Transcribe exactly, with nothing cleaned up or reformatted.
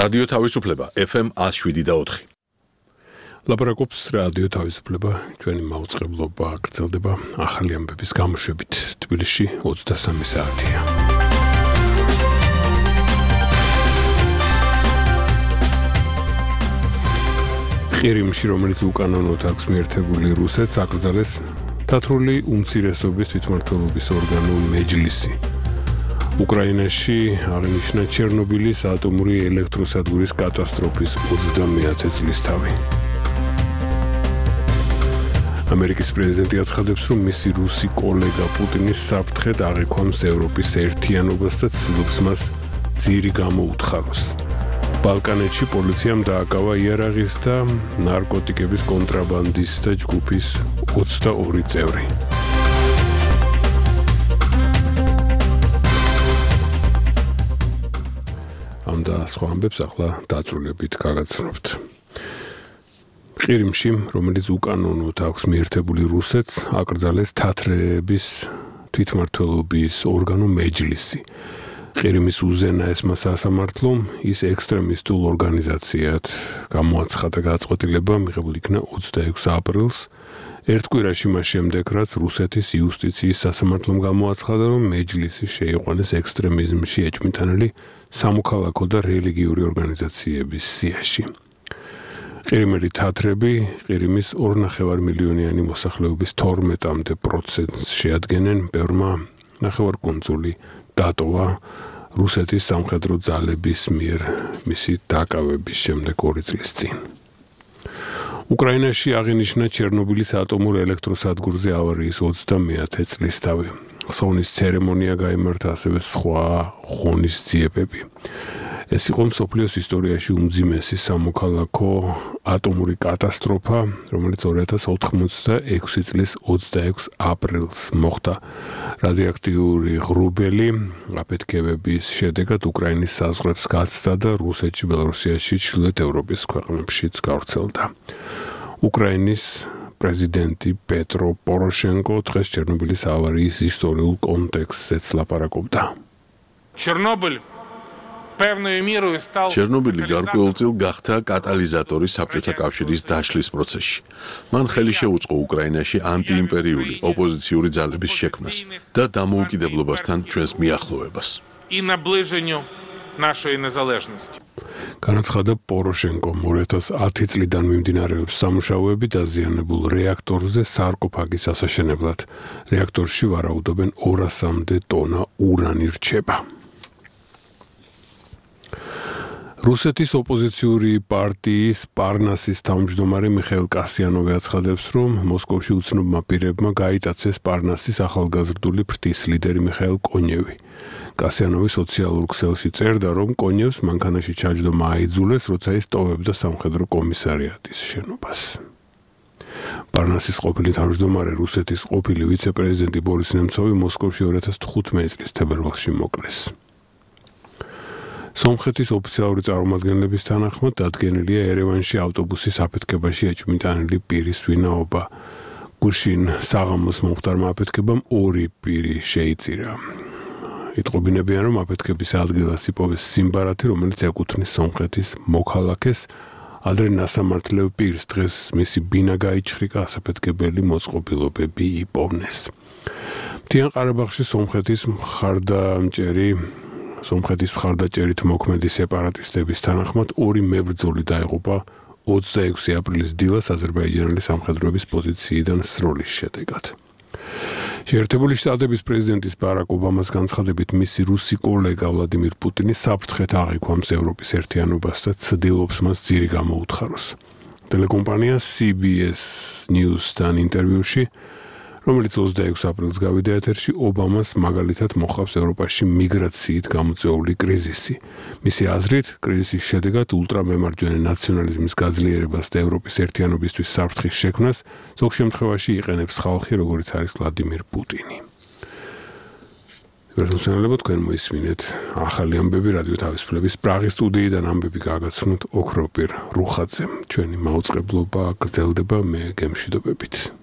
რადიო თავისუფლება ეფ ემ one oh seven და four. ლაპარაკობს რადიო თავისუფლება, ჩვენი მაუწყებლობა გრძელდება ახალი ამბების გამოშვებით. თბილისში ოცდასამი საათია. ყირიმში, რომელიც უკანონოდ აქვს მიერთებული რუსეთს, აკრძალეს თათრული უმცირესობის თვითმმართველობის ორგანო მეჯლისი. უკრაინაში აღინიშნა ჩერნობილის ატომური ელექტროსადგურის კატასტროფის ოცდამეათე წლისთავი. ამერიკის პრეზიდენტი აცხადებს, რომ მისი რუსი კოლეგა პუტინის საფრთხედ აღიქვამს ევროპის ერთიანობას და ცდილობს მას ძირი გამოუთხაროს. ბალკანეთში პოლიციამ დააკავა იარაღის და ნარკოტიკების კონტრაბანდისტთა ჯგუფის ოცდაორი წევრი. ამ და სხვა ამბებს ახლა დაწვრილებით გაგაცნობთ. ყირიმში, რომელიც უკანონოდ აქვს მიერთებული რუსეთს, აკრძალეს თათრების თვითმმართველობის ორგანო მეჯლისი. ყირიმის უზენაესმა სასამართლომ ის ექსტრემისტულ ორგანიზაციად გამოაცხადა გადაწყვეტილება, მიღებული იქნა ოცდაექვსი აპრილს, ერთ კვირაში მას შემდეგ, რაც რუსეთის იუსტიციის სასამართლომ გამოაცხადა, რომ მეჯლისი შეიყვანეს ექსტრემიზმში ეჭვმიტანილი სამოქალაქო და რელიგიური ორგანიზაციების სიაში. ყირიმელი თათრები ყირიმის ორნახევარ მილიონიანი მოსახლეობის თორმეტამდე პროცენტს შეადგენენ, ბევრმა ნახევარკუნძული დატოვა რუსეთის სამხედრო ძალების მიერ მისი დაკავების შემდეგ ორი წლის წინ. უკრაინაში აღინიშნა ჩერნობილის ატომურ ელექტროსადგურზე ავარიის ოცდამეათე წლისთავი. ხსოვნის ცერემონია გაიმართა, ასევე სხვა ღონისძიებები. ეს იყო მსოფლიოს ისტორიაში უმძიმესი სამოქალაქო ატომური კატასტროფა, რომელიც ორი ათას ოცდაექვსი წლის ოცდაექვსი აპრილს მოხდა. რადიოაქტიური ღრუბელი აფეთქებების შედეგად უკრაინის საზღვრებს გაცდა და რუსეთში, ბელორუსიაში, ჩრდილოეთ ევროპის ქვეყნებშიც გავრცელდა. უკრაინის პრეზიდენტი პეტრო პოროშენკო დღეს ჩერნობილის ავარიის ისტორიულ კონტექსტზეც ლაპარაკობდა. ჩერნობილი ჩერნობილი გარკვეულწილ გახდა კატალიზატორი საბჭოთა კავშირის დაშლის პროცესში. მან ხელი შეუწყო უკრაინაში ანტიიმპერიული ოპოზიციური ძალების შექმნას და დამოუკიდებლობასთან ჩვენს მიახლოვებას. განაცხადა პოროშენკომ, ორი ათას ათი წლიდან მიმდინარეობს სამუშაოები დაზიანებულ რეაქტორზე სარკოფაგის ასაშენებლად. რეაქტორში ვარაუდობენ ორასამდე ტონა ურანი რჩება. რუსეთის ოპოზიციური პარტიის პარნასის თავმჯდომარე მიხეილ კასიანოვი აცხადებს, რომ მოსკოვში უცნობმა პირებმა გაიტაცეს პარნასის ახალგაზრდული ფრთის ლიდერი მიხეილ კონევი. კასიანოვი სოციალურ ქსელში წერდა, რომ კონევს მანქანაში ჩაჯდომა აიძულეს, როცა ის ტოვებდა სამხედრო კომისარიატის შენობას. პარნასის ყოფილი თავმჯდომარე, რუსეთის ყოფილი ვიცე-პრეზიდენტი ბორის ნემცოვი მოსკოვში ორი ათას თხუთმეტი წლის თებერვალში მოკლეს. სომხეთის ოფიციალური წარმომადგენლების თანახმად დადგენილია ერევანში ავტობუსის აფეთქებაში ეჭვმიტანილი პირის ვინაობა. გუშინ საღამოს მომხდარმა აფეთქებამ ორი პირი შეიწირა. იტყობინებიან, რომ აფეთქების ადგილას იპოვეს სიმბარათი, რომელიც ეკუთვნის სომხეთის მოქალაქეს. ადრე ნასამართლელ პირს დღეს მისი ბინა გაიჩხრიკა, ასაფეთქებელი მოწყობილობები იპოვნეს. მთიან ყარაბაღში სომხეთის მხარდამჭერი სომხეთის მხარდაჭერით მოქმედი სეპარატისტების თანახმად ორი მებრძოლი დაიღუპა ოცდაექვსი აპრილის დილას აზერბაიჯანელი სამხედროების პოზიციიდან სროლის შედეგად. შეერთებული შტატების პრეზიდენტის ბარაკ ობამას განცხადებით, მისი რუსი კოლეგა ვლადიმირ პუტინი საფრთხედ აღიქვამს ევროპის ერთიანობას და ცდილობს მას ძირი გამოუთხაროს. ტელეკომპანია სი ბი ეს News-თან ინტერვიუში, რომელიც ოცდაექვსი აპრილს გავიდა ეთერში, ობამას მაგალითად მოხავს ევროპაში მიგრაციით გამოწვეული კრიზისი. მისი აზრით, კრიზისის შედეგად ულტრამემარჯვენე ნაციონალიზმის გაძლიერებას და ევროპის ერთიანობისთვის საფრთხის შექმნას ზოგ შემთხვევაში იყენებს ხალხი, როგორც არის ვლადიმირ პუტინი. გასასწორებად თქვენ მოისმინეთ ახალი ამბები რადიო თავისუფლების პრაღის სტუდიიდან ამბები გაგაცნოთ ოქროპირ რუხაძემ. ჩვენი მაუწყებლობა გრძელდება, მე გემშვიდობებით.